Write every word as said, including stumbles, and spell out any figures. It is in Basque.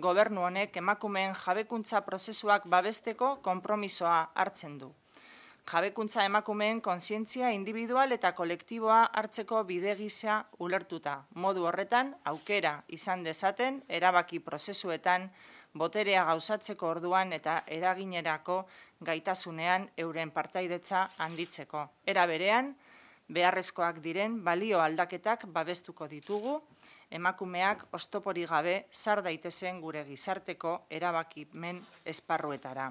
gobernu honek emakumeen jabekuntza prozesuak babesteko konpromisoa hartzen du. Jabekuntza emakumeen kontzientzia individual eta kolektiboa hartzeko bide gisa ulertuta. Modu horretan, aukera izan dezaten, erabaki prozesuetan, boterea gauzatzeko orduan eta eraginerako gaitasunean euren partaidetza handitzeko. Era berean, beharrezkoak diren balio aldaketak babestuko ditugu, emakumeak oztoporik gabe sar daitezen gure gizarteko erabakimen esparruetara.